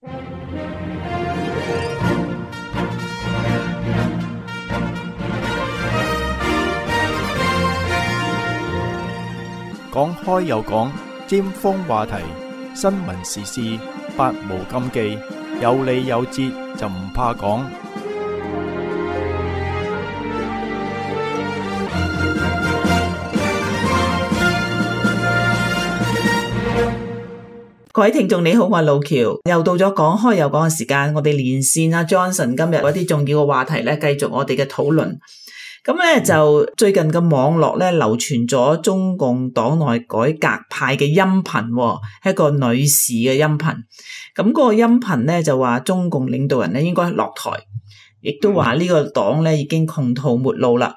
講開又講，尖鋒話題，新聞時事，百無禁忌，有理有節就唔怕講。各位聽眾你好，我係路橋，又到咗講開又講嘅時間，我哋連線阿 Johnson 今日嗰啲重要嘅話題咧，繼續我哋嘅討論。咁咧就最近嘅網絡咧流傳咗中共黨內改革派嘅音頻，係一個女士嘅音頻。咁嗰個音頻咧就話中共領導人咧應該落台，亦都話呢個黨咧已經窮途末路啦。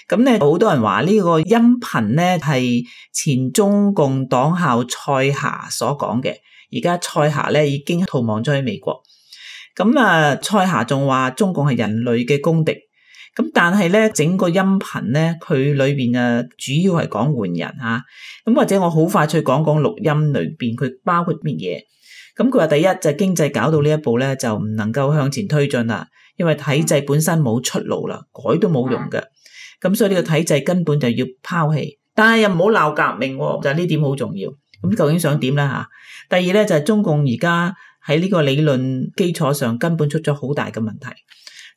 咁咧好多人話呢個音頻咧係前中共黨校蔡霞所講嘅，而家蔡霞咧已經逃亡咗去美國。咁啊，蔡霞仲話中共係人類嘅公敵。咁但係咧，整個音頻咧，佢裏邊主要係講換人吓，咁或者我好快脆講講錄音裏邊佢包括乜嘢。咁佢話第一就係經濟搞到呢一步咧，就唔能夠向前推進啦，因為體制本身冇出路啦，改都冇用嘅。咁所以呢個體制根本就要拋棄，但係又唔好鬧革命，就係呢點好重要。咁究竟想點咧吓？第二咧就係中共而家喺呢個理論基礎上根本出咗好大嘅問題。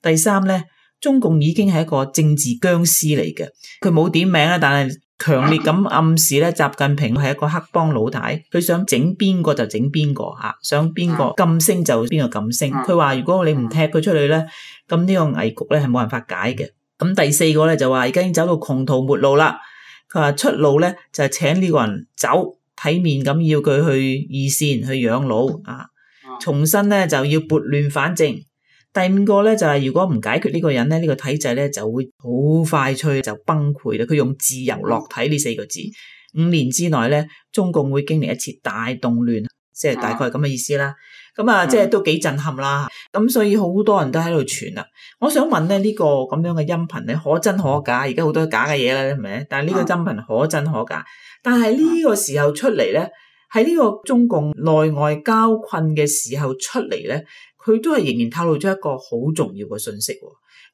第三咧。中共已經係一個政治僵屍嚟嘅，佢冇點名啦，但係強烈咁暗示咧，習近平係一個黑幫老大，佢想整邊個就整邊個吓，想邊個禁聲就邊個禁聲。佢話如果你唔踢佢出去咧，咁呢個危局咧係冇辦法解嘅。咁第四個咧就話而家已經走到窮途末路啦。佢話出路咧就係請呢個人走，體面咁要佢去二線去養老啊，重新咧就要撥亂反正。第五個咧就係如果唔解決呢個人咧，呢個體制咧就會好快脆就崩潰啦。佢用自由落體呢四個字，5年之內咧，中共會經歷一次大動亂，即係大概係咁嘅意思啦。咁啊，即係都幾震撼啦。咁所以好多人都喺度傳啦。我想問咧，呢個咁樣嘅音頻咧，可真可假？而家好多假嘅嘢啦，係咪？但係呢個音頻可真可假？但係呢個時候出嚟咧，喺呢個中共內外交困嘅時候出嚟咧。佢都係仍然透露咗一個好重要嘅信息。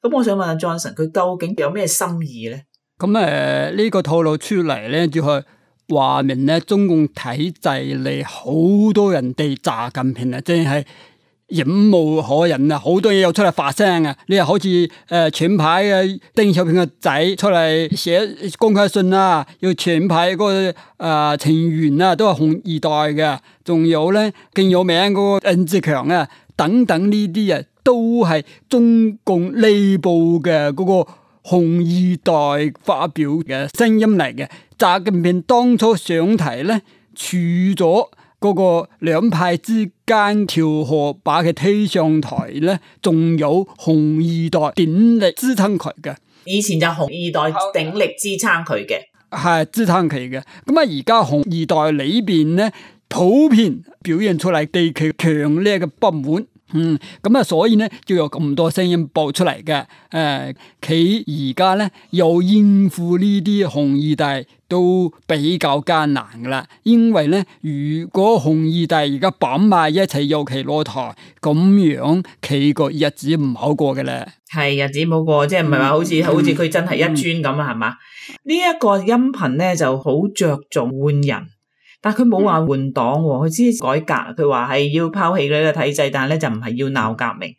咁我想問下 Johnson， 佢究竟有咩心意咧？咁呢個透露出嚟咧，就係話明咧，中共體制嚟好多人對習近平啊，真係忍無可忍啊！好多嘢又出嚟發聲啊！你又好似前排嘅鄧小平嘅仔出嚟寫公開信啊，要前排嗰個成員啊，都係紅二代嘅，仲有咧更有名嗰個任志強啊。等等呢啲啊，都係中共內部嘅嗰個紅二代發表嘅聲音嚟嘅。習近平當初上台咧，除咗嗰個兩派之間調和把佢推上台咧，仲有紅二代鼎力支撐佢嘅。以前就紅二代鼎力支撐佢嘅，係支撐佢嘅。咁啊，而家紅二代裏邊咧，普遍表現出嚟對佢強烈嘅不滿，咁啊，所以咧就有咁多聲音爆出嚟嘅。佢而家咧又應付呢啲紅二代都比較艱難噶啦，因為咧如果紅二代而家綁埋一齊由其落台，咁樣佢個日子唔好過嘅咧。係日子冇過，即係唔係話好似佢真係一尊咁啊？係嘛？呢一個音頻咧就好着重換人。但佢冇話換黨，佢只係改革。佢話係要拋棄呢個體制，但係咧就唔係要鬧革命。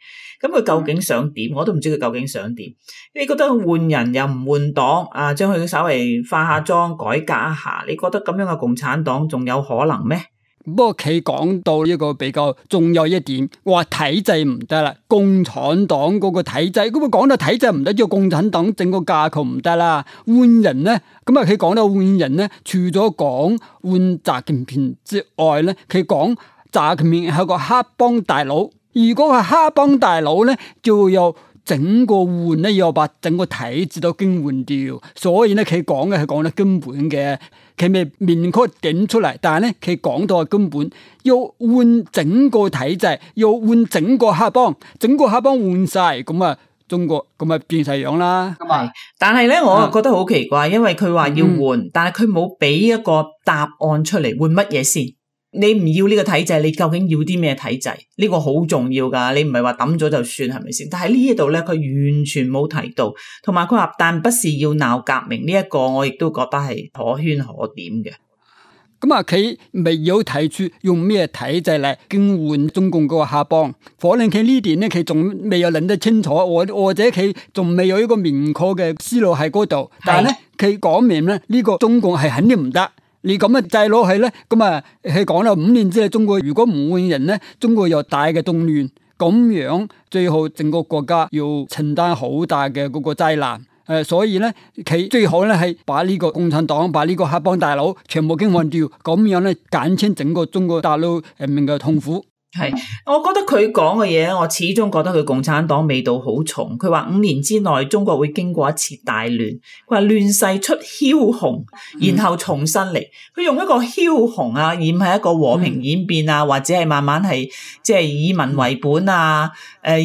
咁佢究竟想點？我都唔知佢究竟想點。你覺得換人又唔換黨啊？將佢稍微化下妝，改革一下，你覺得咁樣嘅共產黨仲有可能咩？不過佢講到一個比較重要一點，話體制唔得啦，共產黨嗰個體制，咁啊講到體制唔得，叫共產黨整個架構唔得啦。換人咧，咁啊佢講到換人咧，除咗講換習近平之外咧，佢講習近平係個黑幫大佬。如果係黑幫大佬咧，就有整個換咧，要把整個體制都更換掉。所以咧，佢講嘅係講得根本嘅。佢未明確點出嚟，但係咧佢講到係根本要換整個體制，要換整個黑幫，整個黑幫換晒，咁啊中國咁啊變晒樣啦。係，但係咧我覺得好奇怪，因為佢話要換，但係佢冇俾一個答案出嚟，換乜嘢先？你唔要呢個體制，你究竟要啲咩體制？呢個好重要噶，你唔係話抌咗就算，係咪先？但係呢一度咧，佢完全冇提到，同埋佢話但不是要鬧革命呢一個，我亦都覺得係可圈可點嘅。咁啊，佢未有提出用咩體制嚟更換中共嗰個黑幫，可能佢呢點咧，佢仲未有諗得清楚，或者佢仲未有一個明確嘅思路喺嗰度。但係咧，佢講明咧，呢個中共係肯定唔得。你咁嘅制落去咧，咁啊，佢講啦，5年之內中國如果唔換人咧，中國有大嘅動亂，咁樣最後整個國家要承擔好大嘅嗰個災難。所以咧，佢最好咧係把呢個共產黨、把呢個黑幫大佬全部更換掉，咁樣咧減輕整個中國大陸人民嘅痛苦。係，我覺得佢講嘅嘢，我始終覺得佢共產黨味道好重。佢話5年之內中國會經過一次大亂，佢話亂世出梟雄，然後重新嚟。佢用一個梟雄啊，而唔係一個和平演變啊，或者係慢慢係即係以民為本啊。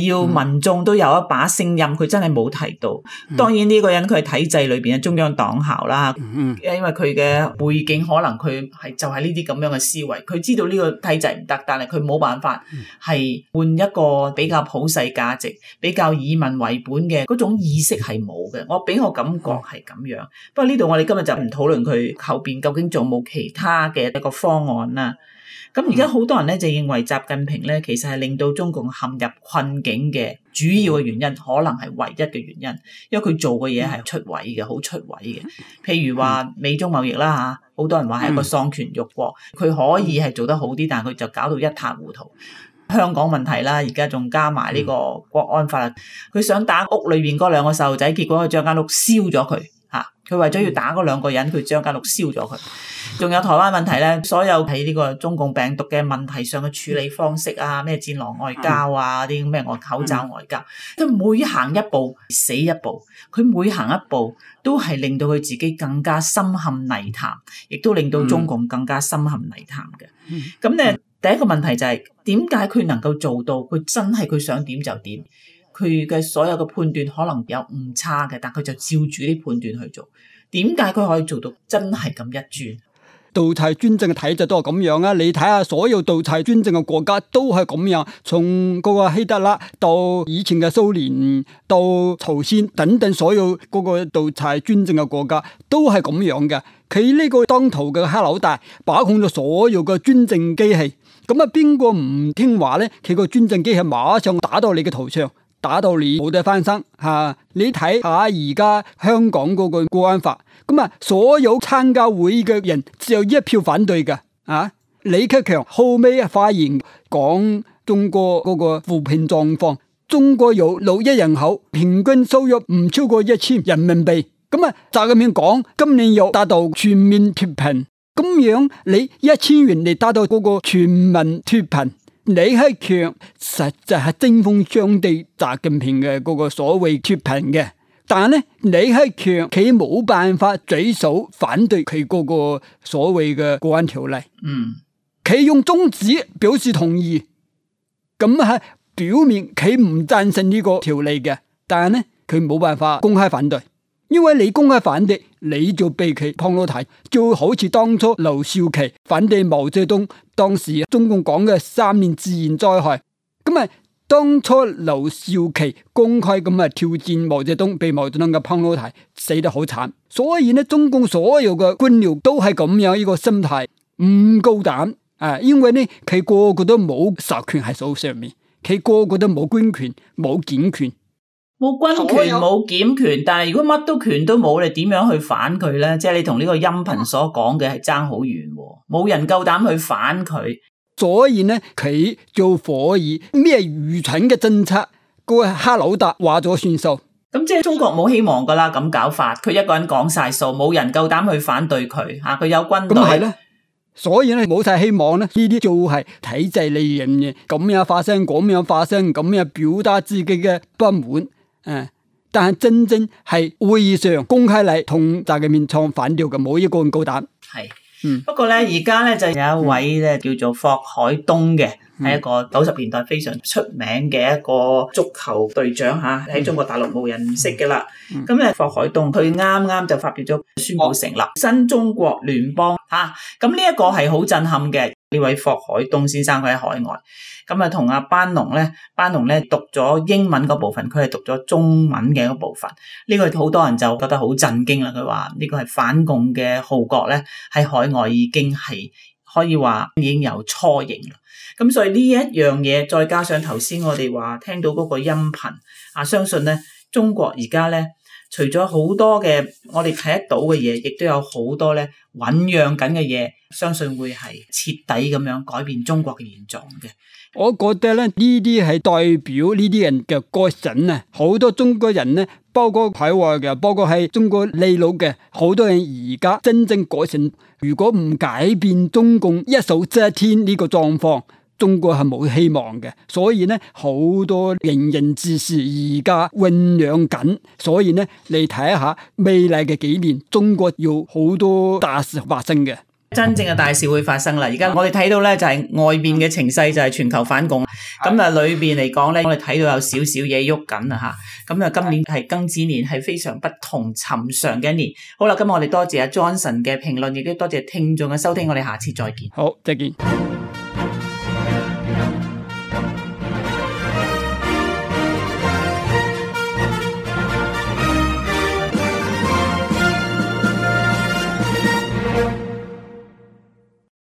要民眾都有一把聲音，佢真係冇提到。當然呢個人佢係體制裏邊嘅中央黨校啦，因為佢嘅背景可能佢係就係呢啲咁樣嘅思維，佢知道呢個體制唔得，但係佢冇辦法係換一個比較普世價值、比較以民為本嘅嗰種意識係冇嘅。我俾我感覺係咁樣。不過呢度我哋今日就唔討論佢後邊究竟仲冇其他嘅一個方案啦。咁而家好多人咧就認為習近平咧其實係令到中共陷入困境嘅主要嘅原因，可能係唯一嘅原因，因為佢做嘅嘢係出位嘅，好出位嘅。譬如話美中貿易啦嚇，好多人話係一個喪權辱國，佢可以係做得好啲，但係佢就搞到一塌糊塗。香港問題啦，而家仲加埋呢個國安法，佢想打屋裏邊嗰2個細路仔，結果佢將間屋燒咗佢嚇。佢為咗要打嗰2個人，佢將間屋燒咗佢。仲有台灣問題咧，所有喺呢個中共病毒嘅問題上嘅處理方式啊，咩戰狼外交啊，啲咩口罩外交，佢每行一步死一步，佢每行一步都係令到佢自己更加深陷泥潭，亦都令到中共更加深陷泥潭嘅。咁咧，第一個問題就係點解佢能夠做到？佢真係佢想點就點，佢嘅所有嘅判斷可能有誤差嘅，但佢就照住啲判斷去做。點解佢可以做到真係咁一轉？獨裁專政嘅體制都係咁樣啊！你睇下所有獨裁專政嘅國家都係咁樣，從嗰個希特勒到以前嘅蘇聯到朝鮮等等，所有嗰個獨裁專政嘅國家都係咁樣嘅。佢呢個當頭嘅黑老大把控咗所有嘅專政機器，咁啊邊個唔聽話咧？佢個專政機器馬上打到你嘅頭上，打到你冇得翻身嚇！你睇下而家香港嗰個國安法。咁啊！所有參加會嘅人只有1票反對嘅啊！李克強後尾發言講中國嗰個扶貧狀況，中國有6億人口，平均收入唔超過1000人民幣。咁啊，習近平講今年要達到全面脫貧，咁樣你1000元你達到嗰個全民脫貧，李克強實際係針鋒相對習近平嘅嗰個所謂脫貧嘅。但係咧，李克強佢冇辦法舉手反對佢嗰個所謂嘅國安條例。佢用中指表示同意，咁係表面佢唔贊成呢個條例嘅。但係咧，佢冇辦法公開反對，因為你公開反對，你就被佢碰到題，就好似當初劉少奇反對毛澤東，當時中共講嘅3年自然災害，咁啊。當初劉少奇公開咁啊挑戰毛澤東，被毛澤東嘅碰到題，死得好慘。所以呢，中共所有嘅官僚都係咁樣一個心態，唔夠膽啊！因為呢，佢個個都冇實權喺手上面，佢個個都冇軍權、冇檢權，冇軍權、冇檢權。但係如果乜都權都冇，你點樣去反佢呢？即係你同呢個音頻所講嘅係爭好遠，冇人夠膽去反佢。所以呢，佢就可以咩愚蠢嘅政策，個黑老大話咗算數。咁即係中國冇希望噶啦，咁搞法，佢一個人講晒數，冇人夠膽去反對佢吓，佢有軍隊。咁係咧，所以咧冇晒希望咧，呢啲就係體制利用嘅，咁樣發聲，咁樣發聲，咁樣表達自己嘅不滿。但係真正係會議上公開嚟同習近平唱反調嘅，冇一個人夠膽。係。不過咧，而家咧就有一位咧叫做霍海東嘅係一個90年代非常出名嘅一個足球隊長嚇，喺中國大陸冇人唔識嘅啦。咁咧，霍海東佢啱啱就發表咗宣布成立新中國聯邦嚇，咁呢一個係好震撼嘅。呢位霍海東先生佢喺海外，咁啊同阿班農咧讀咗英文嗰部分，佢係讀咗中文嘅嗰部分。呢個好多人就覺得好震驚啦。佢話呢個係反共嘅號角咧，喺海外已經係可以話已經有雛形啦。咁所以呢一樣嘢，再加上頭先我哋話聽到嗰個音頻啊，相信咧中國而家咧，除咗好多嘅我哋睇得到嘅嘢，亦都有好多咧醞釀緊嘅嘢，相信會係徹底咁樣改變中國嘅現狀嘅。我覺得咧呢啲係代表呢啲人嘅覺醒啊！好多中國人咧，包括海外嘅，包括喺中國內陸嘅，好多人而家真正覺醒。如果唔改變中共一手遮天呢個狀況，中國係冇希望嘅。所以呢，好多仁人志士而家醞釀緊。所以呢，你睇下未來嘅幾年，中國要好多大事發生嘅。真正嘅大事會發生啦！而家我哋睇到咧就係外邊嘅情勢就係全球反共，咁啊裏邊嚟講咧，我哋睇到有少少嘢喐緊啊嚇！咁啊今年係庚子年，係非常不同尋常嘅一年。好啦，今日我哋多謝阿 Johnson 嘅評論，亦都多謝聽眾嘅收聽，我哋下次再見。好，再見。